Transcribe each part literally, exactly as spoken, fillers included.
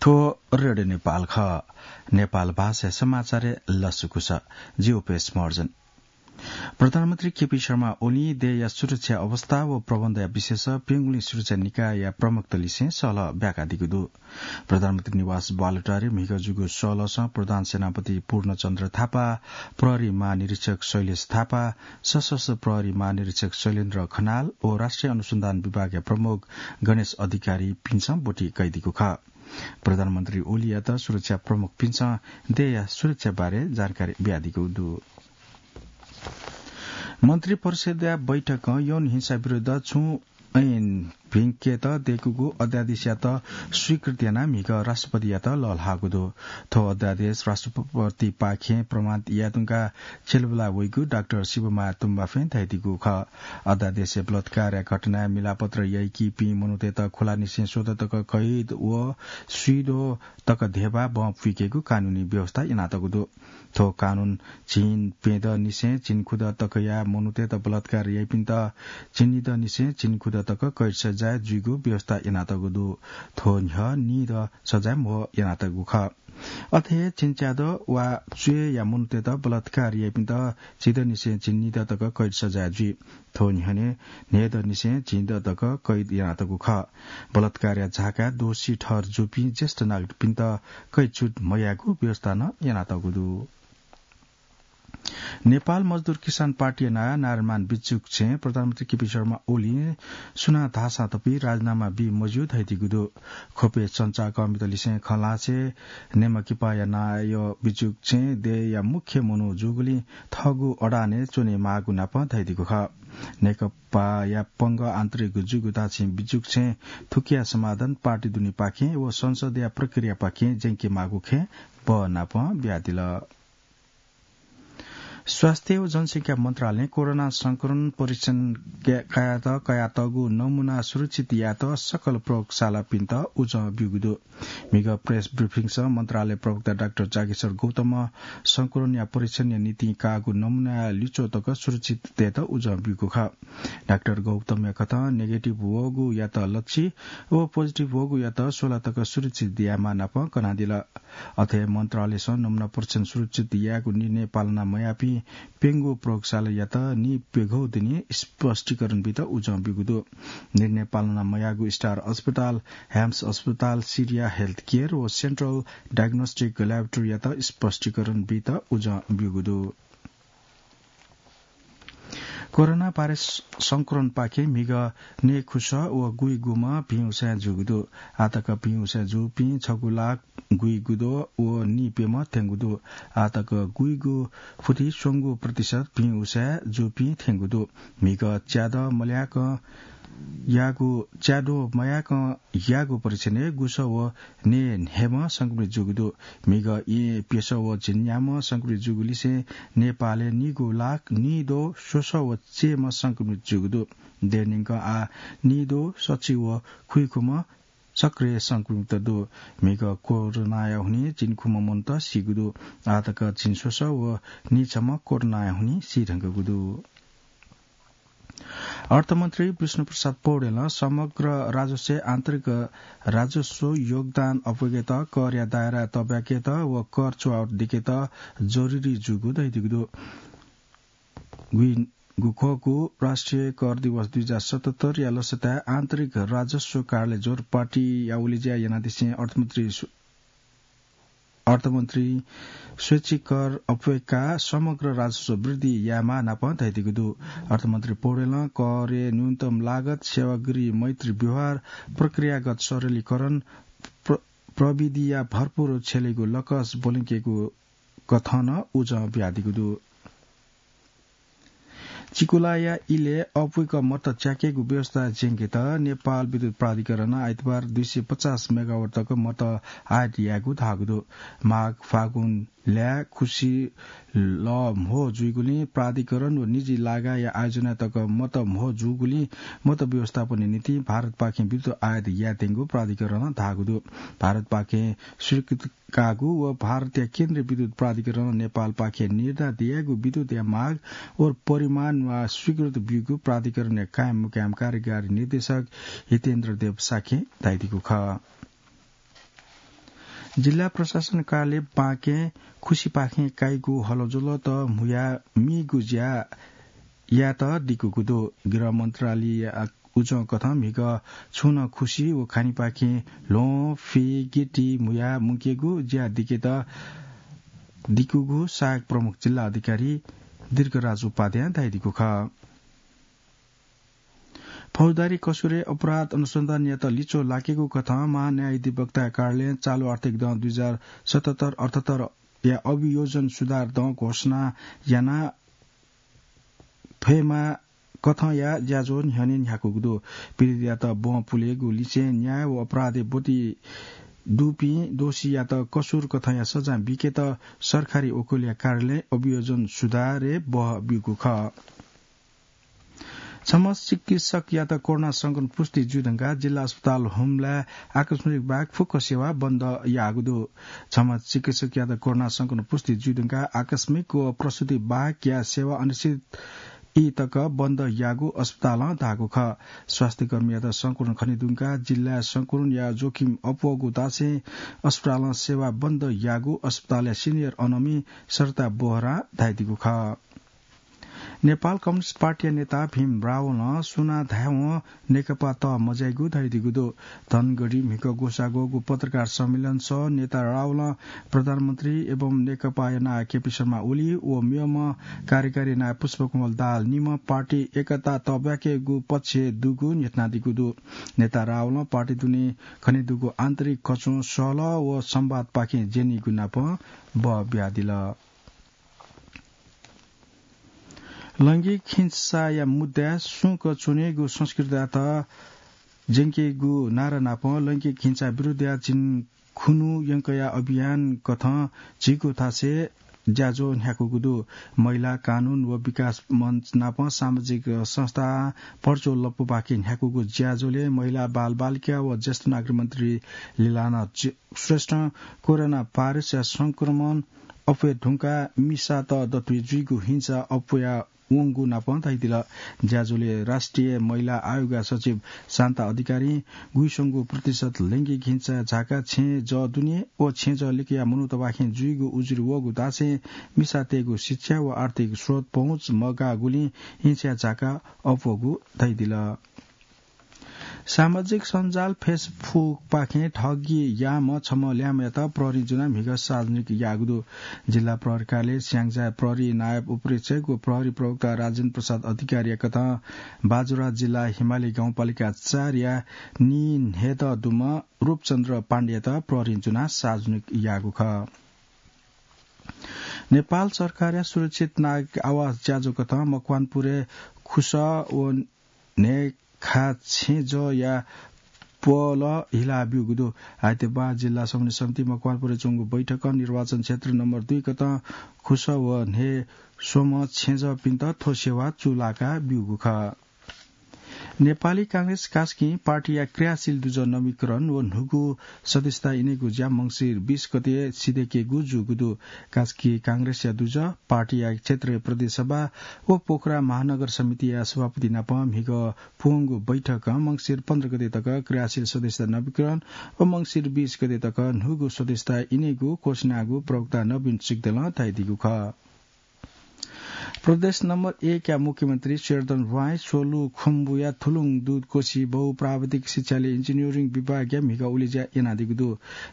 थ्व रेडियो नेपाल खः। नेपाल भाषा समाचारय् लसकुस। जि उपेश महर्जन। प्रधानमन्त्री केपी शर्मा ओली देय्‌या सुरक्षा अवस्था व प्रबन्धया विषयस प्यंगुलिं सुरक्षा निकायया प्रमुखतलिसें सहलह ब्याकादीगु दु। प्रधानमन्त्री निवास बालुटारे म्हिगः जूगु सहलहसं प्रधान सेनापति पूर्णचन्द्र थापा, प्रहरी महानिरीक्षक शैलेश थापा, सशस्त्र प्रहरी महानिरीक्षक शैलेन्द्र खनाल व राष्ट्रिय अनुसन्धान विभागया प्रमुख गणेश अधिकारीपिन्सं ब्वति कयादीगु खः। प्रधानमन्त्री ओलीयात सुरक्षा प्रमुखपिन्सं देय्‌या सुरक्षा बारे जानकारी बियादीगु दु। मन्त्री परिषदया बैठकं यौन हिंसा विरुद्ध छुं ऐन भिंकेत दय्‌कूगु अध्यादेशयात स्वीकृति यानाः म्हिगः राष्ट्रपतियात लःल्हाःगु दु। थ्व अध्यादेश राष्ट्रपतिपाखें प्रमाणित यायेधुंकाः छ्यलेबुला वइगु डाक्टर शिवमाया तुम्बाफें धयादीगु खः। अध्यादेशय् बलात्कारया घटनाय् मिलापत्र याइकीपिं मनूतय्‌त खुलानिसें स्वदँ तक कैद व स्वीद्वः तक धेबा बहं पुइकेगु कानूनी व्यवस्था यानातःगु दु। थ्व कानून झिंप्यदँनिसें झिंखुदँ तकया मनूतय्‌त बलात्कार याइपिन्त झिंनिदँनिसें झिंखुदँ तक कैद सजाय जुइगु व्यवस्था यानातःगु दु। थ्व न्ह्यः निदँ सजाय म्हो यानातःगु खः। अथे हे झिंच्यादँ वा च्वय्‌या मनूतय्‌त बलात्कार याइपिन्त झिंदँनिसें झिंनिदँ तक कैद सजाय जुइ। थ्व न्ह्यःने न्हय्‌दँनिसें झिंदँ तक कैद यानातःगु खः। बलात्कारया झाकाय् दोषी ठहर जूपिं ज्येष्ठ नागरिकपिन्त कैद छुट मयायेगु व्यवस्था नं यानातःगु दु। नेपाल मजदुर किसान पार्टीया नायः नारायणमान बिजुक्छें प्रधानमन्त्री केपी शर्मा ओलीं सुनां धाःसां तपि राजीनामा बी मज्यू धयादीगु दु। ख्वपय् सञ्चारकर्मीतलिसें खँ ल्हासें नेमाकिपाया नायः बिजुक्छें देय्‌या मुख्य मनू जूगुलिं थःगु अडानय् च्वनेमाःगु नापं धयादीगु खः। नेकपाया पंगः आन्तरिक जूगु धाःसां बिजुक्छें थुकिया समाधान पार्टी दुनेपाखें व संसदया प्रक्रियापाखें ज्यंकेमाःगु खँय् बहः नापं बियादिल। स्वास्थ्य व जनसंख्या मन्त्रालयं कोरोना संक्रमण परीक्षण कायेत कयातःगु नमूना सुरक्षित यायेत सकल प्रयोगशालापिन्त उजं ब्यूगु दु। म्हिगः प्रेस ब्रिफिङसं मन्त्रालय प्रवक्ता डाक्टर जागेश्वर गौतमं संक्रमणया परीक्षणया निंतिं काःगु नमूनाया लिच्वः तक सुरक्षित तयेत उजं ब्यूगु खः। डाक्टर गौतमया कथं नेगेटिभ वःगुयात लच्छि व पोजिटिभ वःगुयात स्वला तक सुरक्षित यायेमाः नापं कनादिल। अथे मन्त्रालयसं नमूना परीक्षण सुरक्षित यायेगु निर्णय पालना मयाःपिं प्यंगू प्रयोगशालायात निप्यघौ दिने स्पष्टीकरण बीत उजं ब्यूगु दु। निर्णय पालना मयाःगु स्टार अस्पताल, ह्याम्स अस्पताल, सिरिया हेल्थ केयर व सेन्ट्रल डायग्नोस्टिक ल्याबोरेटरीयात स्पष्टीकरण बीत उजं ब्यूगु दु। कोरोना भाइरस संक्रमणपाखें म्हिगः नयेखुसः व गुइगुम्ह भिं उसाँय् जूगु दु। आःतक भिं उसाँय् जूपिं छगू लाख गुइगुद्वः व नीप्यम्ह थ्यंगु दु। आःतक गुइगु फुति स्वंगू प्रतिशत भिं उसाँय् जूपिं थ्यंगु दु। म्हिगः च्यादँ मल्याकं याःगु, च्याद्वः मयाकं याःगु परीक्षणय् गुसः व नयेन्हय्म्ह संक्रमित जूगु दु। म्हिगः येँ प्यसः व झिंन्याम्ह संक्रमित जूगुलिसें नेपालय् निगू लाख निद्वः स्वसः व चय्म्ह संक्रमित जूगु दु। देय्‌न्यंकं आः निद्वः सच्छि व खुइखुम्ह सक्रिय संक्रमित दु। म्हिगः कोरोनाया हुनिं झिंखुम्ह मनूत सीगु दु। आःतक झिंस्वसः व नीछम्ह कोरोनाया हुनिं सी धुंकूगु दु। अर्थमन्त्री विष्णुप्रसाद पौडेलं समग्र राजस्वय् आन्तरिक राजस्व योगदान अप्वय्केत, करया दायरा तब्याकेत व कर चुहावट दिकेत जरुरी जूगु धयादीगु दु। गुइगुखःगु राष्ट्रिय कर दिवस दुई हजार सतहत्तरया लसताय् आन्तरिक राजस्व कार्यालय जोरपाटीया उलेज्या यानादिसें अर्थमन्त्री सु-, अर्थमन्त्री स्वैच्छिक कर अप्वय्काः समग्र राजस्व वृद्धि यायेमाः नापं धयादीगु दु। अर्थमन्त्री पौडेलं करय् न्यूनतम लागत, सेवाग्री मैत्री व्यवहार, प्रक्रियागत सरलीकरण, प्र-, प्रविधिया भरपुर छ्यलेगु लकस ब्वलंकेगु कथं नं उजं बियादीगु दु। चिकुलाया इलय् अप्वय्क मत च्याकेगु व्यवस्था ज्यंकेत नेपाल विद्युत प्राधिकरणं आइतबार दुई सय पचास मेगावाट तक मत आयात यायेगु धाःगु दु। माघ फागुन ल्याः खुसि लः म्हो जुइगुलिं प्राधिकरण व निजी लागाया आयोजनाय् तक मत म्हो जूगुलिं मत व्यवस्थापनया निंतिं भारतपाखें विद्युत आयात यायेत्यंगु प्राधिकरणं धाःगु दु। भारतपाखें स्वीकृत काःगु व भारतया केन्द्रीय विद्युत प्राधिकरणं नेपालपाखें निर्दा दियागु विद्युतया माग व परिमाण वा स्वीकृत ब्यूगु प्राधिकरणया कायम मुकायम कार्यकारी निर्देशक हितेन्द्र देव शाक्यं धयादीगु खः। जिल्ला प्रशासन कार्यालय बाँके खुसिपाखें काइगु हलज्वलत म्हुया मीगु ज्या यात दिकुगु दु। गृह मन्त्रालय उजं कथं म्हिगः छुं नं खुसि व खानीपाखें ल्वहं, फि, गिटी म्हुया मुंकेगु ज्या दिकेत दिकुगु सहायक प्रमुख जिल्ला अधिकारी दीर्घराज उपाध्यायं धाइदिगु खः। फौजदारी कसुरय् अपराध अनुसन्धानयात लिचो लाकेगु कथं महान्यायाधिवक्ता कार्यालयं चालु आर्थिक दँ दुई हजार सतहत्तर अठहत्तरया अभियोजन सुधार दँ घोषणा याना फयेमा कथंया ज्याझ्वः न्ह्यःने न्ह्याकूगु दु। पीडितयात ब्वहं पुलेगु लिसें न्याय व अपराधय् ब्वति दुपिं दोषीयात कसुर कथंया सजाँ बीकेत सरकारी वकिलया कार्यालयं अभियोजन सुधारय् बहः ब्यूगु खः। छम्ह चिकित्सकयात कोरोना संक्रमण पुष्टि जुइ धुंकाः जिल्ला अस्पताल हुम्लाय् आकस्मिक बाहेक फुक्क सेवा बन्द याःगु दु। छम्ह चिकित्सकयात कोरोना संक्रमण पुष्टि जुइ धुंकाः आकस्मिक व प्रसूति बाहेकया सेवा अनिश्चित ई तक बन्द याःगु अस्पतालं धाःगु खः। स्वास्थ्यकर्मीयात संक्रमण खने धुंकाः जिल्लाय् संक्रमणया जोखिम अप्वःगु धासें अस्पतालं सेवा बन्द याःगु अस्पतालया सिनियर अनमी सरिता बोहरां धाइदिगु खः। नेपाल कम्युनिस्ट पार्टीया नेता भीम रावलं सुनां धायेवं नेकपा तः मज्याइगु धयादीगु दु। धनगढी म्हिगः ग्वसाः ग्वःगु पत्रकार सम्मेलनसः नेता रावलं प्रधानमन्त्री एवं नेकपाया नायः केपी शर्मा ओली व मेम्ह कार्यकारी नायः पुष्पकमल दाहाल निम्ह पार्टी एकता तःब्वाकेगु पक्षय् दुगु न्ह्यथनादीगु दु। नेता रावलं पार्टी दुने खने दुगु आन्तरिक कच्वं सहलह व संवादपाखें ज्यनीगु नापं बः बियादिल। लैंगिक हिंसाया मुद्दाय् सुंक च्वनेगु संस्कृतियात ज्यंकेगु नारा नाप लैंगिक हिंसा विरुद्धया झिंखुन्हु यंकया अभियान कथं झीगु थासय् ज्याझ्वः न्ह्याकूगु दु। महिला कानून व विकास मञ्च नाप सामाजिक संस्था पर्चो लप्पुपाखे न्ह्याकूगु ज्याझ्वलय् महिला, बालबालिका व ज्येष्ठ नागरिक मन्त्री लीलानाथ श्रेष्ठं कोरोना भाइरसया संक्रमण अप्वये धुंकाः मिसात दथुइ जुइगु हिंसा अप्वया वंगु नाप धयादिल। ज्याझ्वलय् राष्ट्रिय महिला आयोगया सचिव शान्ता अधिकारीं गुइस्वंगू प्रतिशत लैंगिक हिंसा झाका छेँजः दुने व छेँजः लिकया मनूतबाखें जुइगु उजुरी वःगु धासें मिसातय्गु शिक्षा व आर्थिक स्रोत पहुँच मगाःगुलिं हिंसाया झाका अप्वःगु धयादिल। सामाजिक सञ्जाल Facebook पाखें ठगी याःम्ह छम्ह ल्याय्म्हयात प्रहरीं जुनाः म्हिगः सार्वजनिक याःगु दु। जिल्ला प्रहरी कार्यालय स्याङ्जाया प्रहरी नायब उपरीक्षक व प्रहरी प्रवक्ता राजेन्द्र प्रसाद अधिकारीया कथं बाजुरा जिल्ला हिमाली गाउँपालिका चारया नीन्हेदँ दुम्ह रूपचन्द्र पाण्डेयात प्रहरीं जुनाः सार्वजनिक याःगु खः। नेपाल सरकारया सुरक्षित नागरिक आवास ज्याझ्वः कथं मकवानपुरय् खुसः व न्हय्खा छेँजःया पहल हिला ब्यूगु दु। आइतबाः जिल्ला समन्वय समिति मकवानपुरय् च्वंगु बैठकं निर्वाचन क्षेत्र नम्बर दुई कथं खुसः व न्हय् स्वम्ह छेँजःपिन्त थ्व सेवा चूलाका ब्यूगु खः। नेपाली कांग्रेस कास्कीं पार्टीया क्रियाशील दुजः नवीकरण व न्हूगु सदस्यता इनेगु ज्या मंसिर बीस गते सिधय्केगु जूगु दु। कास्की कांग्रेसया दुजः, पार्टीया क्षेत्रीय प्रदेश सभा व पोखरा महानगर समितिया सभापति नाप म्हिगः पूवंगु बैठकं मंसिर पन्ध्र गते तक क्रियाशील सदस्यता नवीकरण व मंसिर बीस गते तक न्हूगु सदस्यता इनेगु क्वसिनागु प्रवक्ता नवीन सिग्दलं धयादीगु खः। प्रदेश नम्बर एकया मुख्यमन्त्री शेरधन ह्वाँय् स्वलु खुम्बुया थुलुङ दुधकोशी बहुप्राविधिक शिक्षालयय् इन्जिनियरिङ विभागया म्हिगः उलेज्या यानादीगु दु।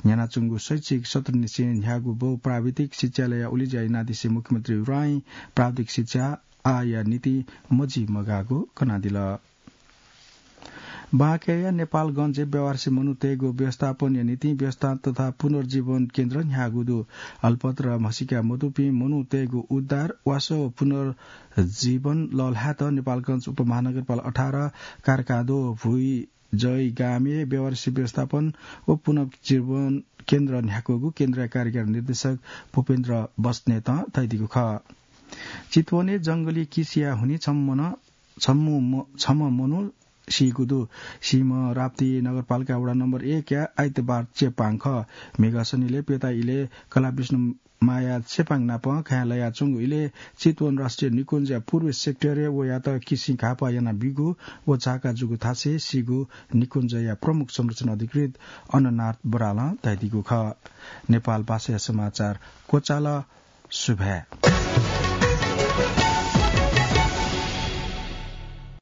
न्ह्यानाच्वंगु शैक्षिक सत्रनिसें न्ह्याःगु बहुप्राविधिक शिक्षालयया उलेज्या यानादिसें मुख्यमन्त्री ह्वाँय् प्राविधिक शिक्षा आःया निंतिं मजिमगाःगु कनादिल। बाँकेया नेपालगञ्जय् बेवारसी मनूतय्गु व्यवस्थापनया निंतिं व्यवस्था तथा पुनर्जीवन केन्द्र न्ह्याःगु दु। अलपत्र म्हसीका मदुपिं मनूतय्गु उद्धार, वासः व पुनर्जीवन लःल्हायेत नेपालगञ्ज उपमहानगरपालिका अठार, कारकादो, भुइँजय गामय् बेवारसी व्यवस्थापन व पुनर्जीवन केन्द्र न्ह्याकूगु केन्द्रया कार्यकारी निर्देशक भूपेन्द्र बस्नेतं धयादीगु खः। चितवनय् जंगली किसिया हुनिं छम्ह मन छम्मु म-, छम्ह मनू सीगु दु। सीम्ह राप्ती नगरपालिका वडा नम्बर एकया आइतबार चेपाङ खः। म्हिगः सनिलय् प्यता इलय् कलाविष्णु माया चेपाङ नाप घाँय् लयाच्वंगु इलय् चितवन राष्ट्रिय निकुञ्जया पूर्वी सेक्टरय् वयात किसिं घाःपाः यानाबीगु व झाका जूगु थासय् सीगु निकुञ्जया प्रमुख संरक्षण अधिकृत अननाथ बरालं धयादीगु खः। नेपाल भाषाया समाचार क्वचाल। सुभाय्।